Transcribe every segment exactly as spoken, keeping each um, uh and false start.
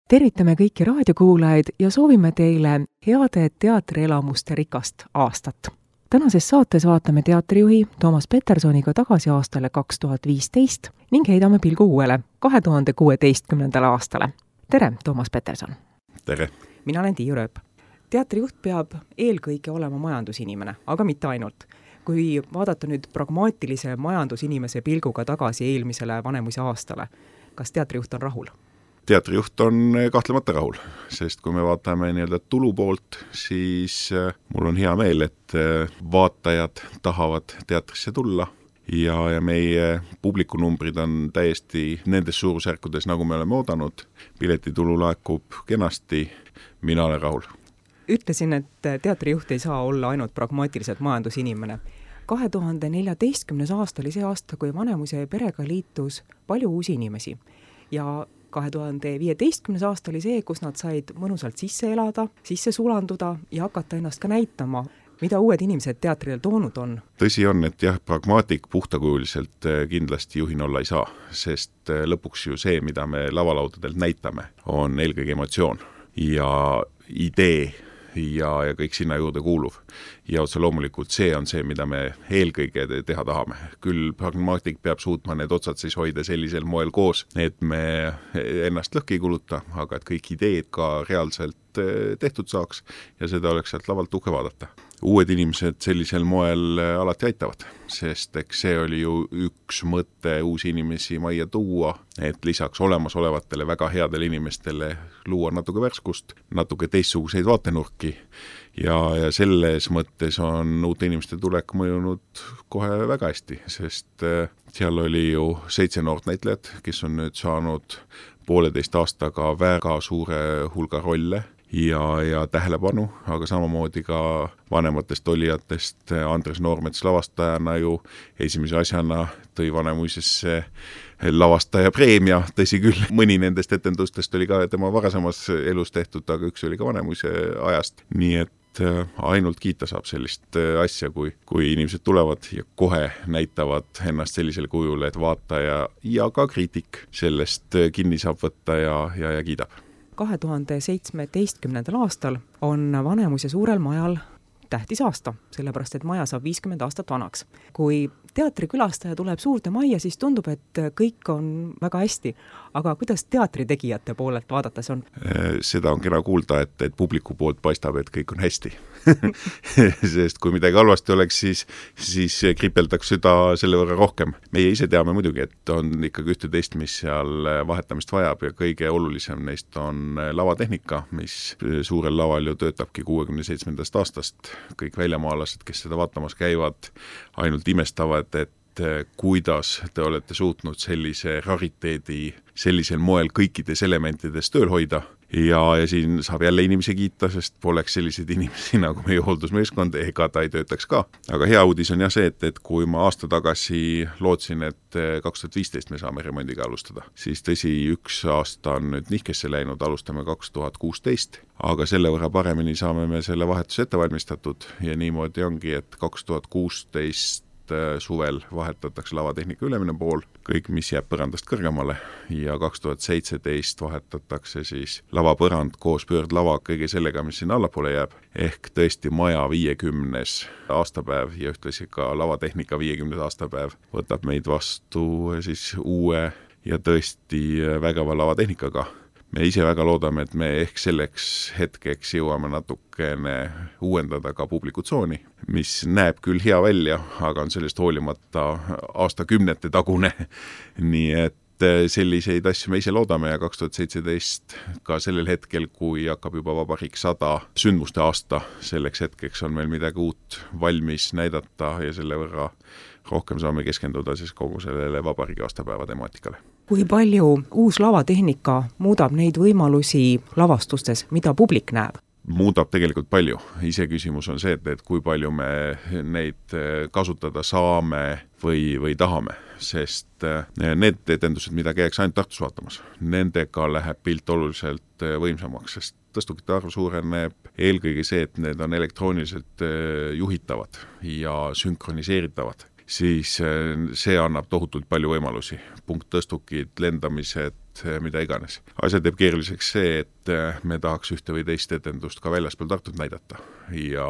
Tervitame kõiki raadiokuulajaid ja soovime teile heade teatrielamuste rikast aastat. Tänases saates vaatame teatrijuhi Toomas Petersoniga tagasi aastale kaks tuhat viisteist ning heidame pilgu uuele kahe tuhande kuueteistkümnendale aastale. Tere, Toomas Peterson! Tere! Mina olen Tiiu Rööp. Teatrijuht peab eelkõige olema majandusinimene, aga mitte ainult. Kui vaadata nüüd pragmaatilise majandusinimese pilguga tagasi eelmisele Vanemuise aastale, kas teatrijuht on rahul? Teatrijuht on kahtlemata rahul, sest kui me vaatame nii-öelda tulu poolt, siis mul on hea meel, et vaatajad tahavad teatrisse tulla ja, ja meie publikunumbrid on täiesti nendes suurusjärkudes, nagu me oleme oodanud. Piletitulu laekub kenasti, mina olen rahul. Ütlesin, et teatrijuht ei saa olla ainult pragmaatiliselt majandusinimene. kahe tuhande neljateistkümnes aasta oli see aasta, kui Vanemuise perega liitus palju uusi inimesi ja kahe tuhande viieteistkümnes aasta oli see, kus nad said mõnusalt sisse elada, sisse sulanduda ja hakata ennast ka näitama, mida uued inimesed teatrile toonud on. Tõsi on, et jah, pragmaatik puhtakujuliselt kindlasti juhin olla ei saa, sest lõpuks ju see, mida me lavalaudadelt näitame, on eelkõige emotsioon ja idee ja, ja kõik sinna juurde kuuluv. Ja otse loomulikult see on see, mida me eelkõige teha tahame. Küll pragmaatik peab suutma need otsad siis hoida sellisel moel koos, et me ennast lõhki ei kuluta, aga et kõik ideed ka reaalselt tehtud saaks ja seda oleks sealt lavalt uhke vaadata. Uued inimesed sellisel moel alati aitavad, sest eks see oli ju üks mõte uusi inimesi majja tuua, et lisaks olemasolevatele väga headele inimestele luua natuke värskust, natuke teistsuguseid vaatenurki ja, ja selles mõttes on uute inimeste tulek mõjunud kohe väga hästi, sest seal oli ju seitse noort näitlejat, kes on nüüd saanud pooleteist aastaga väga suure hulga rolle ja, ja tähelepanu, aga samamoodi ka vanematest olijatest Andres Noormets lavastajana ju esimese asjana tõi Vanemuisesse lavastaja preemia, tõsi küll, mõni nendest etendustest oli ka tema varasemas elus tehtud, aga üks oli ka Vanemuise ajast, nii et ainult kiita saab sellist asja, kui, kui inimesed tulevad ja kohe näitavad ennast sellisel kujul, et vaataja ja ka kriitik sellest kinni saab võtta ja, ja, ja kiidab. kahe tuhande seitsmeteistkümnendal aastal on Vanemuise suurel majal tähtis aasta, sellepärast et maja saab viiskümmend aastat vanaks. Kui teatrikülastaja tuleb suurde majja, siis tundub, et kõik on väga hästi. Aga kuidas teatritegijate poolelt vaadates on? Seda on kena kuulda, et, et publiku poolt paistab, et kõik on hästi. Sest kui midagi halvasti oleks, siis, siis kripeldaks süda selle võrra rohkem. Meie ise teame muidugi, et on ikkagi ühte teist, mis seal vahetamist vajab ja kõige olulisem neist on lavatehnika, mis suurel laval ju töötabki kuuekümne seitsmendast aastast. Kõik väljamaalased, kes seda vaatamas käivad, ainult imestavad, et kuidas te olete suutnud sellise rariteedi sellisel moel kõikides elementides tööl hoida. Ja, ja siin saab jälle inimesi kiita, sest poleks selliseid inimesi nagu meie hooldusmeeskond, ega ta ei töötaks ka. Aga hea uudis on jah see, et, et kui ma aasta tagasi lootsin, et kaks tuhat viisteist me saame remondiga alustada, siis tõsi, üks aasta on nüüd nihkesse läinud, alustame kaks tuhat kuusteist, aga selle võrra paremini saame me selle vahetuse ette valmistatud ja niimoodi ongi, et kaks tuhat kuusteist suvel vahetatakse lavatehnika ülemine pool, kõik, mis jääb põrandast kõrgemale ja kaks tuhat seitseteist vahetatakse siis lavapõrand koos pöördlava kõige sellega, mis sinna allapoole jääb, ehk tõesti maja viiekümnes aastapäev ja ühtlasi ka lavatehnika viiekümnes aastapäev võtab meid vastu siis uue ja tõesti vägeva lavatehnikaga. Me ise väga loodame, et me ehk selleks hetkeks jõuame natukene uuendada ka publikutsooni, mis näeb küll hea välja, aga on sellest hoolimata aastakümnete tagune. Nii et selliseid asju me ise loodame ja kaks tuhat seitseteist ka sellel hetkel, kui hakkab juba Vabariik sada sündmuste aasta, selleks hetkeks on meil midagi uut valmis näidata ja selle võrra rohkem saame keskenduda siis kogu sellele Vabariigi aastapäeva temaatikale. Kui palju uus lavatehnika muudab neid võimalusi lavastustes, mida publik näeb? Muudab tegelikult palju. Ise küsimus on see, et, et kui palju me neid kasutada saame või, või tahame, sest need etendused, mida käiks ainult Tartus vaatamas, nendega läheb pilt oluliselt võimsamaks, sest tõstukite arv suureneb eelkõige see, et need on elektrooniliselt juhitavad ja sünkroniseeritavad. Siis see annab tohutult palju võimalusi. Punkttõstukid, lendamised, mida iganes. Asja teeb keeruliseks see, et me tahaks ühte või teist etendust ka väljaspool Tartut näidata ja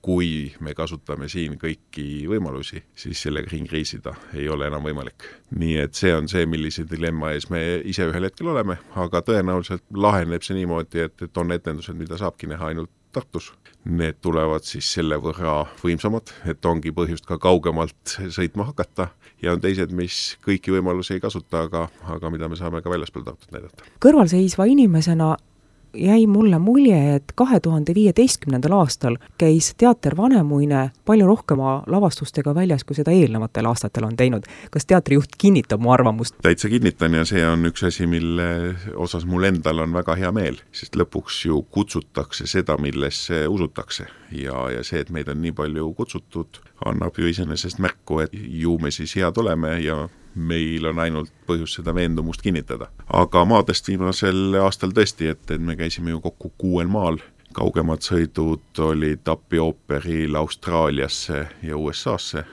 kui me kasutame siin kõiki võimalusi, siis sellega ring reisida ei ole enam võimalik. Nii et see on see, millise dilemma ees me ise ühel hetkel oleme, aga tõenäoliselt laheneb see niimoodi, et, et on etendused, mida saabki näha ainult Tartus. Need tulevad siis selle võrra võimsamad, et ongi põhjust ka kaugemalt sõitma hakata ja on teised, mis kõiki võimalusi ei kasuta, aga, aga mida me saame ka väljaspool Tartut näidata. Kõrvalseisva inimesena jäi mulle mulje, et kahe tuhande viieteistkümnendal aastal käis teater Vanemuine palju rohkema lavastustega väljas, kui seda eelnevatel aastatel on teinud. Kas teatrijuht kinnitab mu arvamust? Täitsa kinnitan ja see on üks asi, mille osas mul endal on väga hea meel, sest lõpuks ju kutsutakse seda, millesse usutakse ja, ja see, et meid on nii palju kutsutud, annab ju iseenesest märku, et ju me siis head oleme ja meil on ainult põhjus seda veendumust kinnitada. Aga maadest viimasel aastal tõesti, et, et me käisime ju kokku kuuel maal. Kaugemad sõidud olid Tappi ooperil Austraaliasse ja U S A-sse,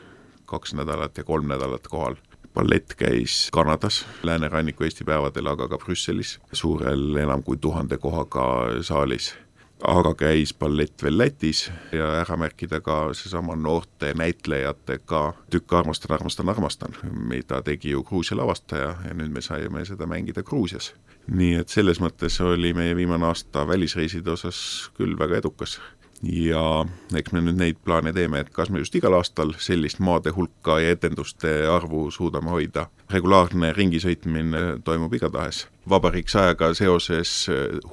kaks nädalat ja kolm nädalat kohal. Ballett käis Kanadas, Lääneranniku Eesti päevadel, aga ka Brüsselis, suurel enam kui tuhande kohaga saalis. Aga käis ballett veel Lätis ja ära märkida ka seesama noorte näitlejatega Tükk armastan, armastan, armastan, mida tegi ju Gruusia lavastaja ja nüüd me saime seda mängida Gruusias. Nii et selles mõttes oli meie viimane aasta välisreiside osas küll väga edukas. Ja eks me nüüd neid plaane teeme, et kas me just igal aastal sellist maade hulka ja etenduste arvu suudame hoida. Regulaarne ringisõitmine toimub igatahes. Vabariiksajaga seoses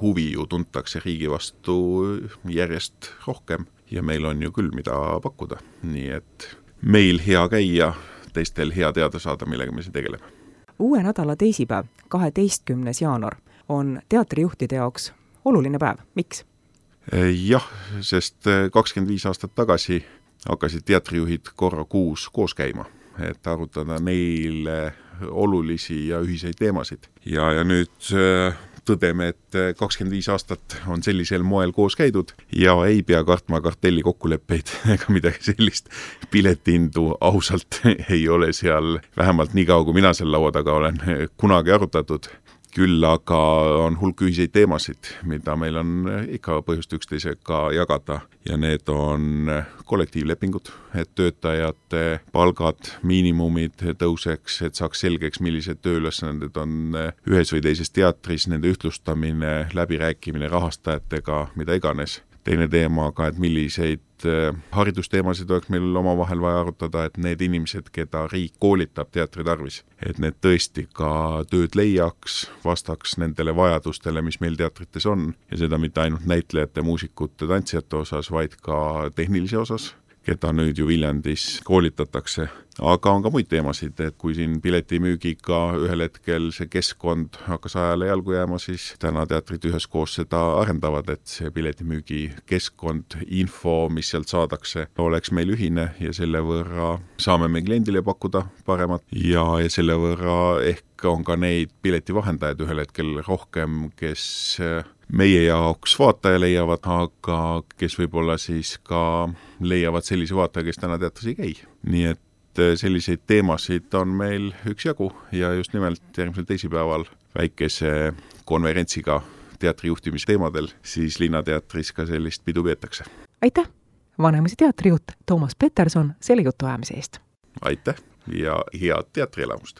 huvi ju tuntakse riigi vastu järjest rohkem ja meil on ju küll mida pakkuda. Nii et meil hea käia, teistel hea teada saada, millega me siin tegeleme. Uue nädala teisipäev, kaheteistkümnes jaanuar, on teatrijuhtide jaoks oluline päev. Miks? Jah, sest kakskümmend viis aastat tagasi hakkasid teatrijuhid korra kuus koos käima, et arutada neile olulisi ja ühiseid teemasid. Ja, ja nüüd tõdeme, et kakskümmend viis aastat on sellisel moel koos käidud ja ei pea kartma kartelli kokkuleppeid ega midagi sellist. Piletindu ausalt ei ole seal, vähemalt nii kaua, kui mina seal laua taga olen, kunagi arutatud. Küll aga on hulk ühiseid teemasid, mida meil on ikka põhjust üksteisega jagada ja need on kollektiivlepingud, et töötajate palgad, miinimumid tõuseks, et saaks selgeks, millised tööülesanded on ühes või teises teatris, nende ühtlustamine, läbirääkimine rahastajatega, mida iganes. Teine teema ka, et milliseid haridusteemasid oleks meil omavahel vaja arutada, et need inimesed, keda riik koolitab teatri tarvis, et need tõesti ka tööd leiaks, vastaks nendele vajadustele, mis meil teatrites on ja seda mitte ainult näitlejate, muusikute, tantsijate osas, vaid ka tehnilise osas, keda nüüd ju Viljandis koolitatakse. Aga on ka muid teemasid, et kui siin piletimüügiga ühel hetkel see keskkond hakkas ajale jalgu jääma, siis täna teatrid üheskoos seda arendavad, et see piletimüügi keskkond, info, mis sealt saadakse, oleks meil ühine ja selle võrra saame me kliendile pakkuda paremat ja, ja selle võrra ehk on ka neid piletivahendajaid ühel hetkel rohkem, kes meie jaoks vaataja leiavad, aga kes võib-olla siis ka leiavad sellise vaataja, kes täna teatris ei käi. Nii et selliseid teemasid on meil üksjagu ja just nimelt järgmisel teisipäeval väikese konverentsiga teatrijuhtimisteemadel siis Linnateatris ka sellist pidu peetakse. Aitäh, Vanemuise teatrijuht Toomas Peterson selle jutu ajamise eest. Aitäh ja head teatrielamust!